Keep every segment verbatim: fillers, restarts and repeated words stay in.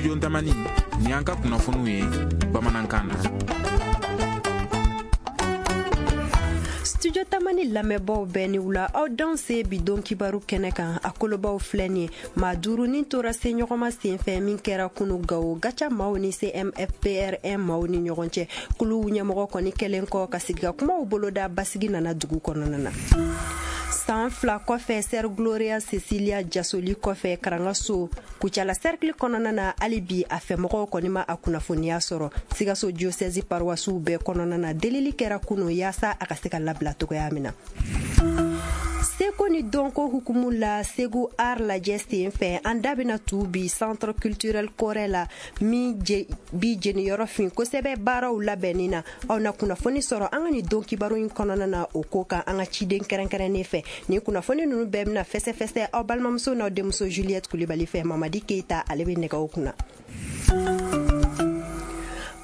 Studio Tamani ni an ka kunnafoniw ye bamanankan na. Studio Tamani lamɛnbaaw bɛɛ ni wula, aw dan se bi don kibaru kɛnɛ kan. A kolobaw filɛ nin ye: maa duuru ni tora se ɲɔgɔnma senfɛ min kɛra kunu Gawo Gaca maaw ni C M F P R un maaw ni ɲɔgɔn cɛ. Kuluw ɲɛmɔgɔ kɔni kɛlen kɔ ka sigi ka kumaw boloda, basigi nana dugu kɔnɔna na. San fila kɔfɛ, Sœur Gloria Cecilia jasoli kɔfɛ Karangaso Kucala cercle kɔnɔna na, hali bi a fɛmɔgɔw kɔni ma a kunnafoniya sɔrɔ. Sikaso diocèse paroissiw bɛɛ kɔnɔna na, delili kɛra kunu yaasa a ka se ka labila cogoya min na. Seko ni dɔnko hukumu la, Segu Art lajɛ sen fɛ, an da bɛna tu bi Centre culturel Kɔrɛ la min bi jeniyɔrɔ fin kosɛbɛ baaraw labɛnni na. Aw na kunnafoni sɔrɔ an ka nin don kibaru in kɔnɔna na o ko kan an ka ciden kɛrɛnkɛrɛnnen fɛ. Nin kunnafoni ninnu bɛɛ bɛna fɛsɛfɛsɛ aw balimamuso n'aw denmuso Juliette Kulibali fɛ. Mamadi Keyita, ale bɛ nɛgɛw kunna.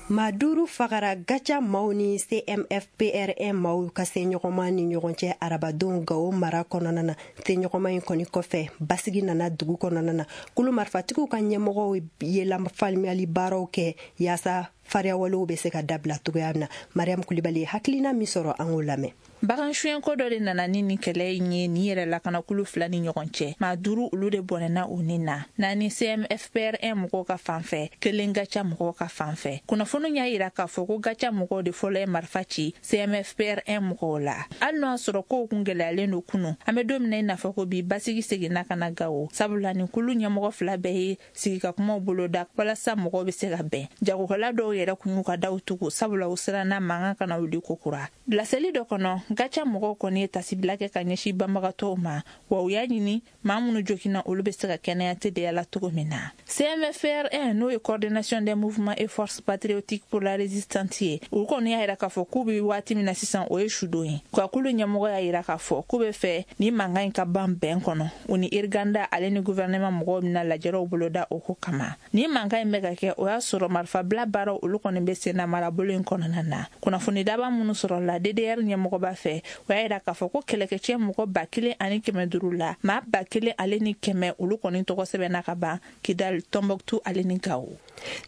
Maa duuru fagara Gaca maaw ni C M F P R un maaw ka se ɲɔgɔnma ni ɲɔgɔn cɛ arabadon Gawo mara kɔnɔna na. Se ɲɔgɔnma in kɔni kɔfɛ, basigi nana dugu kɔnɔna na. Kulu marifatigiw ka ɲɛmɔgɔw ye lafaamuyali baaraw kɛ yaasa fariyawalew bɛ se ka dabila cogoya min na. Mariam Kulibali ye hakilina min sɔrɔ, an k'o lamɛn. Bagan suɲɛko dɔ de nana ni nin kɛlɛ in ye nin yɛrɛ lakanakulu fila ni ɲɔgɔn cɛ. Maa duuru, olu de bɔnɛna u ni na: naani C M F P R un mɔgɔw ka fan fɛ, kelen Gaca mɔgɔw ka fan fɛ. Kunnafoni y'a yira k'a fɔ ko Gaca mɔgɔw de fɔlɔ ye marifa ci C M F P R un mɔgɔw la, hali n'o y'a sɔrɔ kow kun gɛlɛyalen don kunu. An bɛ don min na i n'a fɔ ko bi, basigi seginna ka na Gawo, sabula nin kulu ɲɛmɔgɔ fila bɛɛ ye sigikakumaw boloda walasa mɔgɔw bɛ se ka bɛn. Jagokɛla dɔw yɛrɛ kun y'u ka daw tugu, sabula u siranna mankan kana wuli kokura. Laseli dɔ kɔnɔ, Gaca mɔgɔw kɔni ye tasibila kɛ ka ɲɛsin banbagatɔw ma, wa u y'a ɲini maa minnu joginna, olu bɛ se ka kɛnɛya teliya la cogo min na. C M F R un, n'o ye Coordination des mouvements et forces patriotiques pour la résistance ye, u kɔni y'a yira k'a fɔ k'u bɛ waati min na sisan, o ye sudon ye. Ka kulu ɲɛmɔgɔ y'a yira k'a fɔ k'u bɛ fɛ ni mankan in ka ban bɛn kɔnɔ. U ni Irganda ale ni gouvernement mɔgɔw bɛna lajɛrɛw boloda o ko kama. Ni mankan in bɛ ka kɛ, o y'a sɔrɔ marifabila baaraw, olu kɔni bɛ sen na marabolo in kɔnɔna na. Kunnafoni daba minnu sɔrɔla D D R ɲɛmɔgɔba fɛ, o y'a yira k'a fɔ ko kɛlɛkɛcɛ mɔgɔ ba kelen ani kɛmɛ duuru la, maa ba kelen ale ni kɛmɛ, olu kɔni tɔgɔ sɛbɛnna ka ban Kidal, Tɔnbɔkutu ale ni Gawo.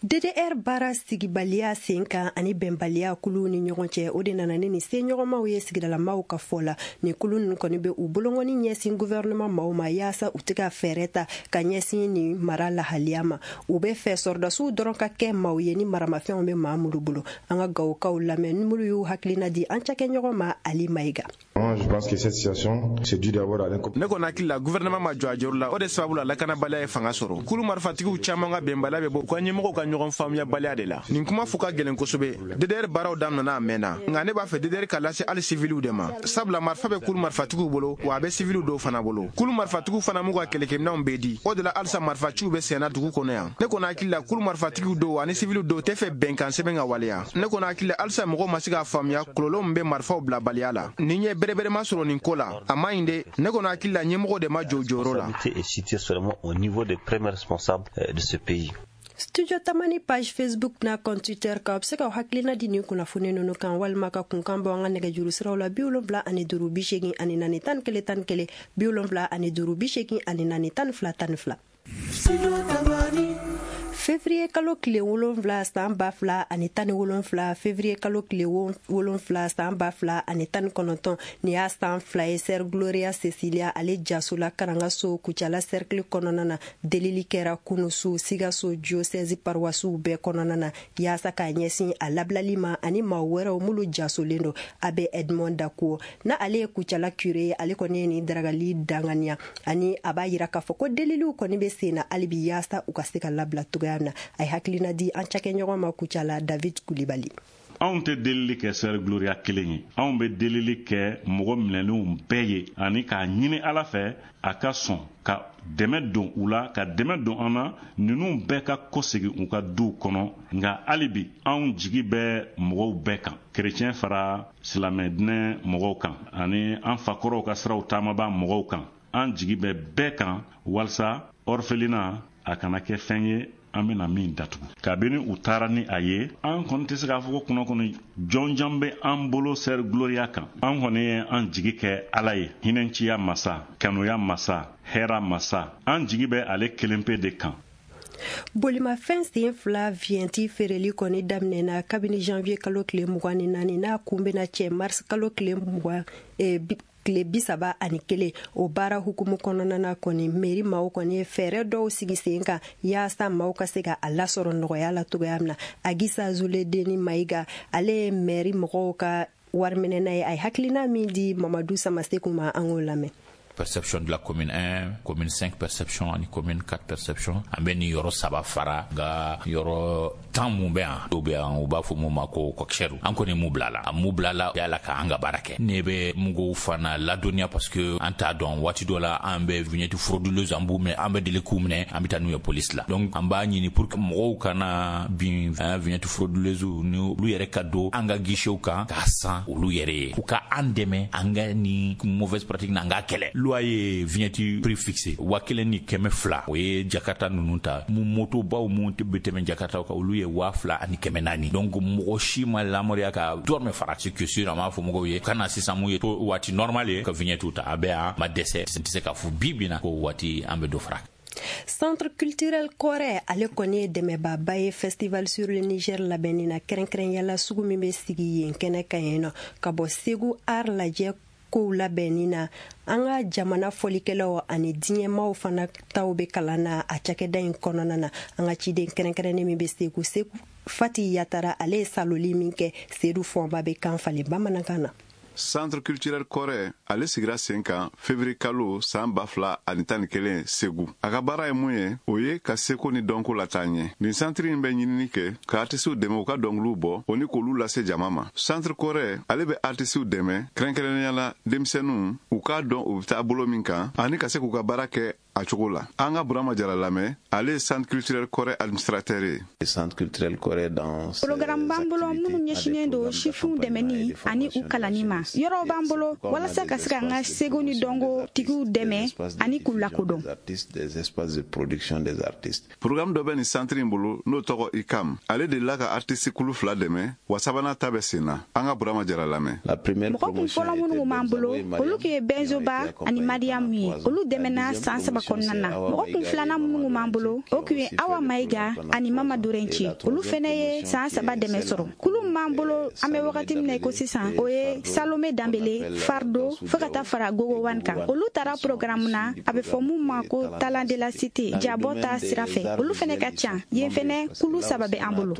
D D R baara sigibaliya sen kan ani bɛnbaliya kuluw ni ɲɔgɔn cɛ, o de nana ni nin se ɲɔgɔnmaw ye sigidalamaw ka fɔ la. Nin kulu ninnu kɔni bɛ u bolongɔni ɲɛsin gouvernement maaw ma yaasa u tɛ ka fɛɛrɛ ta ka ɲɛsin nin mara lahaliya ma. U bɛ fɛ sɔrɔdasiw dɔrɔn ka kɛ maaw ye ni maramafɛnw bɛ maa minnu bolo. An ka Gawokaw lamɛn ni minnu y'u hakilina di an cakɛɲɔgɔn ma Ali Mayiga. Je pense que cette situation, c'est dû d'abord à Ne kɔni hakili la, gouvernement ma jɔ a jɔyɔrɔ la. O de sababu la lakanabaliya ye fanga sɔrɔ. Kulu marifatigiw caman ka bɛnbaliya bɛ bɔ u ka ɲɛmɔgɔw ka ɲɔgɔn faamuyabaliya de la. Nin kuma fo ka gɛlɛn kosɛbɛ. D D R baaraw daminɛna a mɛnna, nka ne b'a fɛ D D R ka lase hali siviliw de ma, sabula marifa bɛ kulu marifatigiw bolo, wa a bɛ siviliw dɔw fana bolo. Kulu marifatigiw fana m'u ka kɛlɛkɛminɛnw bɛɛ di. O de la halisa marifaciw bɛ senna dugu kɔnɔ yan. Ne kɔni hakili la, kulu marifatigiw dɔw ani siviliw dɔw tɛ fɛ bɛnkan sɛbɛn ka waleya. Ne kɔni hakili la, halisa mɔgɔw ma se k'a faamuya kɔlɔlɔ min bɛ marifaw bilabaliya la. Ni ye bɛrɛbɛrɛma sɔrɔ nin ko la, a man ɲi dɛ. Ne kɔni hakili la, ɲɛmɔgɔ de ma jɔ jɔyɔrɔ la. Est située seulement au niveau des premiers responsables de ce pays. Studio Tamani page Facebook n'a compte Twitter kan, a bɛ se ka hakilina di nin kunnafoni ninnu kan walima ka kunkan bɔ an ka nɛgɛjuru siraw la: bi wolonwula ani duuru bi seegin ani naani tan ni kelen tan ni kelen, bi wolonwula ani duuru bi seegin ani naani tan ni fila tan ni fila. Février kalo tile wolonfila san ba fila ani tan ni wolonfila, février kalo tile wolonfila san ba fila ani tan ni kɔnɔntɔn, nin y'a san fila ye Sœur Gloria Cecilia ale jasola Karangaso Kucala cercle kɔnɔna na. Delili kɛra kunusu Sikaso diocèse paroissiw bɛɛ kɔnɔna na yaasa k'a ɲɛsin a labilali ma ani maa wɛrɛw minnu jasolen don. Abbé Edmond Dakuo na, ale ye Kucala curé ye, ale kɔni ye nin daragali danganiya ani a b'a yira k'a fɔ ko deliliw kɔni bɛ sen na hali bi yaasa u ka se ka labila cogoya min na. A ye hakilina di an cakɛɲɔgɔn ma Kucala, David Kulibali. Anw tɛ delili kɛ Sœur Gloria kelen ye, anw bɛ delili kɛ mɔgɔ minɛlenw bɛɛ ye ani k'a ɲini Ala fɛ a ka sɔn ka dɛmɛ don u la, ka dɛmɛ don an na, ninnu bɛɛ ka kɔsegin u ka duw kɔnɔ. Nka hali bi anw jigi bɛ mɔgɔw bɛɛ kan, kerecɛn fara silamɛ dinɛ mɔgɔw kan ani an fakɔrɔw ka siraw taamaba mɔgɔw kan. An jigi bɛ bɛɛ kan walasa orphelinat a kana kɛ fɛn ye an bena min datugu. Kabini u taara ni a ye, an kɔni tɛ se k'a fɔ ko kunnafoni jɔnjan bɛ an bolo Sœur Gloria kan. An kɔni ye an jigi kɛ Ala ye, hinɛnciya masa, kanuya masa, hɛra masa. An jigi bɛ ale kelen pe de kan. Bolimafɛn sen fila vignette feereli kɔni daminɛna kabini janvier kalo tile mugan ni naani, n'a kun bɛna cɛ mars kalo tile mugan tile bi saba ani kelen. O baara hukumu kɔnɔna na kɔni, mairie maaw kɔni ye fɛɛrɛ dɔw sigi sen kan yaasa maaw ka se ka a lasɔrɔ nɔgɔya la cogoya min na. Agisa Zuledeni Mayiga, ale ye mairie mɔgɔw ka wariminɛna ye, a ye hakilina min di Mamadu Samaseku ma, an k'o lamɛn. Perception de la commune un, commune cinq perception ani commune quatre perception. An bɛ nin yɔrɔ saba fara nka yɔrɔ tan mun bɛ yan, dɔw bɛ yan u b'a fɔ mun ma ko kɔkisɛriw. An kɔni mun bila la, a mun bila la yala ka an ka baara kɛ. Ne bɛ mugu fana ladɔnniya parce que an t'a dɔn, waati dɔ la an bɛ vignette frauduleuse an b'u minɛ, an bɛ deli k'u minɛ, an bɛ taa n'u ye police la. Donc an b'a ɲini pour que mɔgɔw kana bin vignette frauduleuse ni olu yɛrɛ ka don an ka guichetw kan k'a san olu yɛrɛ ye, u ka an dɛmɛ an ka ni mauvaise pratique na an k'a kɛlɛ. Loi ye vignette prix fixé wa kelen ni kɛmɛ fila, o ye Jakarta ninnu ta, mu motobaw mun bɛ tɛmɛ Jakarta kan, olu ye waa fila ani kɛmɛ naani. Donc mɔgɔ si ma lamɔriya ka dɔrɔmɛ fara. C'est que sûr, an b'a fɔ mɔgɔw ye ka na sisan mun ye to waati normal ye ka vignette ta, a bɛ yan ma dɛsɛ, n tɛ se k'a fɔ bi bi na ko waati an bɛ dɔ fara. Centre culturel Kɔrɛ, ale kɔni ye dɛmɛbaaba ye Festival sur le Niger labɛnni na, kɛrɛnkɛrɛnyala sugu min bɛ sigi yen kɛnɛ kan yen nɔ ka bɔ Segu art lajɛ kow labɛnni na. An ka jamana fɔlikɛlaw ani diɲɛmaw fana taw bɛ kalan na a cakɛda in kɔnɔna na. An ka ciden kɛrɛnkɛrɛnnen min bɛ Segu, Segu Fati Yatara, ale ye saloli min kɛ, Sedu Fɔnba bɛ kan falen bamanankan na. Centre culturel Kɔrɛ, ale sigira sen kan février kalo san ba fila ani tan ni kelen Segu. A ka baara ye mun ye? O ye ka seko ni dɔnko lataa ɲɛ. Nin centre in bɛ ɲinini kɛ ka artisiw dɛmɛ u ka dɔnkiliw bɔ, o ni k'olu lase jama ma. Centre Kɔrɛ, ale bɛ artisiw dɛmɛ, kɛrɛnkɛrɛnnenya la denmisɛnninw, u k'a dɔn u bɛ taa bolo min kan ani ka se k'u ka baara kɛ a cogo la. An ka Burama Jara lamɛn, ale ye Centre culturel Kɔrɛ administrateur ye. Centre culturel Kɔrɛ dans Programme b'an bolo minnu ɲɛsinnen don sifinw dɛmɛni ani u kalanni ma. Yɔrɔw b'an bolo walasa ka se k'an ka seko ni dɔnko tigiw dɛmɛ ani k'u lakodɔn. Des espaces de production des artistes. Programme dɔ bɛ nin centre in bolo n'o tɔgɔ ICAM. Ale delila ka artiste kulu fila dɛmɛ, wa sabanan ta bɛ sen na. An ka Burama Jara lamɛn. La première Mɔgɔ kun fɔlɔ minnu b'an bolo, olu tun ye Benzoba ani Mariamu ye. Olu dɛmɛna san saba kɔnɔna na. Mɔgɔ kun filanan minnu b'an bolo, o tun ye Awa Mayiga ani Mama Dorenci. Olu fɛnɛ ye san saba dɛmɛ sɔrɔ. Kulu min b'an bolo an bɛ wagati min na i ko sisan, o ye Salome Danbele, Fardo, fo ka taa fara Gogo Wan kan. Olu taara programme na, a bɛ fɔ mun ma ko Talent de la Cité, jabɔ ta sira fɛ. Olu fɛnɛ ka ca. Yen fɛnɛ kulu saba bɛ an bolo.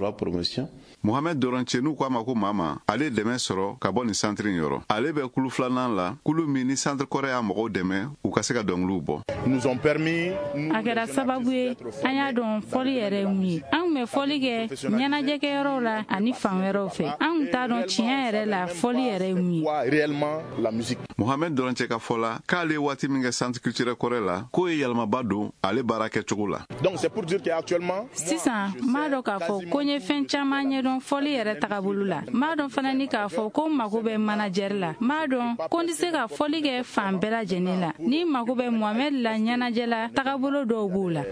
Mohamed Doronce, n'u k'a ma ko Mama, ale ye dɛmɛ sɔrɔ ka bɔ nin centre in yɔrɔ. Ale bɛ kulu filanan la, kulu min ni centre Kɔrɛ y'a mɔgɔw dɛmɛ u ka se ka dɔnkiliw bɔ. A kɛra sababu ye an y'a dɔn fɔli yɛrɛ ye mun ye. An tun bɛ fɔli kɛ ɲɛnajɛkɛyɔrɔw la ani fan wɛrɛw fɛ. An tun t'a dɔn tiɲɛ yɛrɛ la fɔli yɛrɛ ye mun ye. Mohamed Doronce ka fɔ la k'ale ye waati min kɛ centre culturel Kɔrɛ la, k'o ye yɛlɛmaba don ale baara kɛcogo la. Sisan n b'a dɔn k'a fɔ ko n ye fɛn caman ɲɛdɔn fɔli yɛrɛ tagabolo la. N b'a dɔn fana ni k'a fɔ ko n mago bɛ manager la. N b'a dɔn ko n tɛ se ka fɔli kɛ fan bɛɛ lajɛlen la. Ni n mago bɛ Mohamed la ɲɛnajɛ la, tagabolo dɔw b'o la.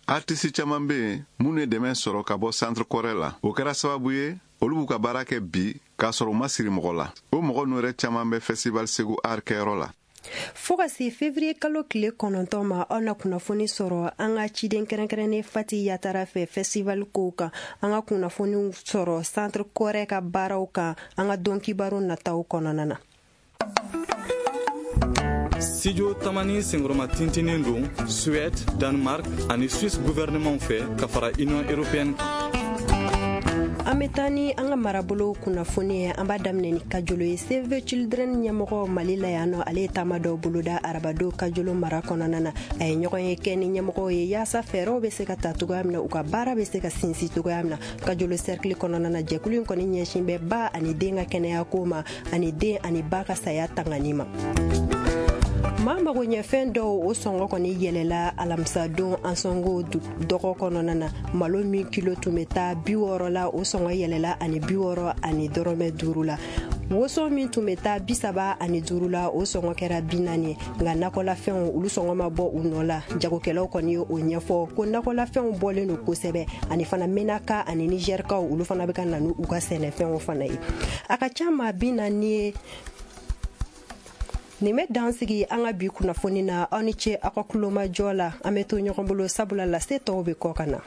Artiste caman bɛ yen minnu ye dɛmɛ sɔrɔ ka bɔ centre Kɔrɛ la. O kɛra sababu ye olu b'u ka baara kɛ bi k'a sɔrɔ u ma siri mɔgɔ la. O mɔgɔ ninnu yɛrɛ caman bɛ Festival Segu Art kɛyɔrɔ la. Fo ka se février kalo tile kɔnɔntɔn ma, aw na kunnafoni sɔrɔ an ka ciden kɛrɛnkɛrɛnnen Fati Yatara fɛ festival kow kan. An ka kunnafoniw sɔrɔ centre Kɔrɛ ka baaraw kan an ka don kibaru nataw kɔnɔna na. Studio Tamani senkɔrɔma tintinen don Suède, Danemark ani Suisse gouvernement fɛ ka fara Union européenne kan. An bɛ taa ni an ka marabolo kunnafoni ye. An b'a daminɛ ni Kajolo ye. Save the Children ɲɛmɔgɔ Mali la yan nɔ, ale ye taama dɔw boloda arabado Kajolo mara kɔnɔna na. A ye ɲɔgɔn ye kɛ ni ɲɛmɔgɔw ye yaasa fɛɛrɛw bɛ se ka ta cogoya min na, u ka baara bɛ se ka sinsin cogoya min na Kajolo cercle kɔnɔna na. Jɛkulu in kɔni ɲɛsin bɛ ba ani den ka kɛnɛya ko ma ani den ani ba ka saya tangani ma. Maa mago ɲɛfɛn dɔw o sɔngɔ kɔni yɛlɛla alamisadon Ansongo dɔgɔ kɔnɔna na. Malo min kilo tun bɛ taa bi wɔɔrɔ la, o sɔngɔ yɛlɛla ani bi wɔɔrɔ ani dɔrɔmɛ duuru la. Woso min tun bɛ taa bi saba ani duuru la, o sɔngɔ kɛra bi naani. Nka nakɔlafɛnw, olu sɔngɔ ma bɔ u nɔ la. Jagokɛlaw kɔni ye o ɲɛfɔ ko nakɔlafɛnw bɔlen don kosɛbɛ, ani fana Menaka ani Nizɛrikaw, olu fana bɛ ka na n'u ka sɛnɛfɛnw fana ye. A ka ca maa bi naani ye. Nin bɛ dan sigi an ka bi kunnafoni na. Aw ni ce aw ka kulomajɔ la. An bɛ to ɲɔgɔn bolo, sabula lase tɔw bɛ kɔ ka na.